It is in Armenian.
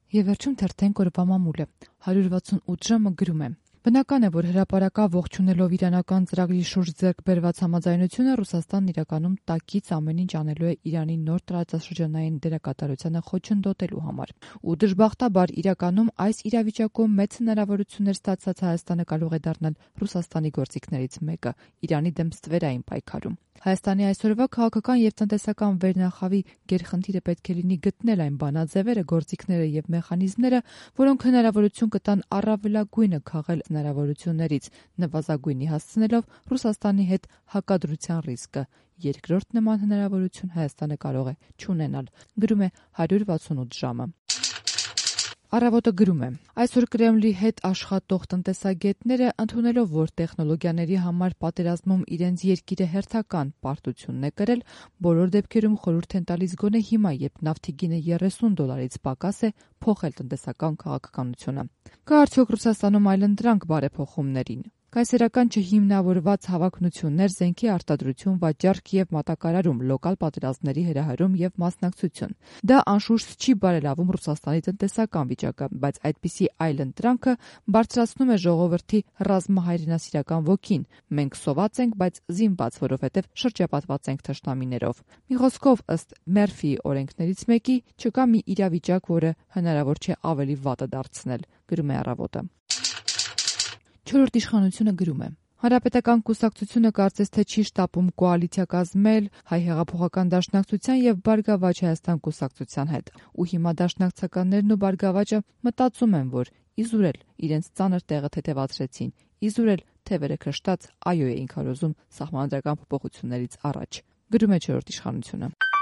Եվ վերջում թերթենք օրվա մամուլը 168 ժամը գրում է. Բնական է, որ հրապարակավ ողջունելով իրանական ծրագրի շուրջ ձեռք բերված համաձայնությունը Ռուսաստանն իրականում տակից ամեն ինչ անելու է Իրանի նոր տարածաշրջանային դերակատարությանը խոչընդոտելու համար։ Ու դժբախտաբար իրականում այս իրավիճակում մեծ հնարավորություններ ստացած Հայաստանը կարող է դառնալ Ռուսաստանի գործիքներից մեկը Իրանի դեմ ստվերային պայքարում։ Հայաստանի այսօրվա քաղաքական եւ տնտեսական վերնախավի գերխնդիրը պետք է լինի գտնել այն բանաձևերը, գործիքները եւ մեխանիզմները, որոնք հնարավորություն կտան առավելագույնը քաղել հնարավորություններից, նվազագույնի հասցնելով Ռուսաստանի հետ հակադրության ռիսկը։ Երկրորդ նման հնարավորություն Հայաստանը կարող է չունենալ, գրում է 168 ժամը։ Առավոտը գրում է. այսօր Կրեմլի հետ աշխատող տնտեսագետները, ընդունելով, որ տեխնոլոգիաների համար պատերազմում իրենց երկիրը հերթական պարտությունն է կրել, բոլոր դեպքերում խորհուրդ են տալիս գոնե հիմա, երբ նավթի գինը $30 պակաս է, փոխել տնտեսական քաղաքականությունը։ Կա արդյոք Ռուսաստանում այլընտրանք բարեփոխումներին։ Կայսերական չհիմնավորված հավակնություններ, զենքի արտադրություն, վաճառք եւ մատակարարում, լոկալ պատերազմների հրահրում եւ մասնակցություն։ Դա անշուշտ չի բարելավում Ռուսաստանի տնտեսական վիճակը, բայց այդպիսի այլընտրանքը բարձրացնում է ժողովրդի ռազմահայրենասիրական ոգին։ Մենք սոված ենք, բայց զինված, որովհետեւ շրջապատված ենք թշնամիներով։ Մի խոսքով, ըստ Մերֆիի օրենքներից մեկի, չկա մի իրավիճակ, որը հնարավոր չէ ավելի վատը դարձնել, գրում է Առավոտը։ Չորրորդ իշխանությունը գրում է. Հանրապետական կուսակցությունը կարծես թե չի շտապում կոալիցիա կազմել Հայ հեղափոխական դաշնակցության եւ Բարգավաճ Հայաստան կուսակցության հետ։ Ու հիմա դաշնակցականներն ու Բարգավաճը մտածում են, որ իզուրել իրենց ծանր տեղը թեթևացրեցին, իզուրել թևերը քշտած այո էին քարոզում սահմանադրական փոփոխություններից առաջ, գրում է Չորրորդ իշխանությունը։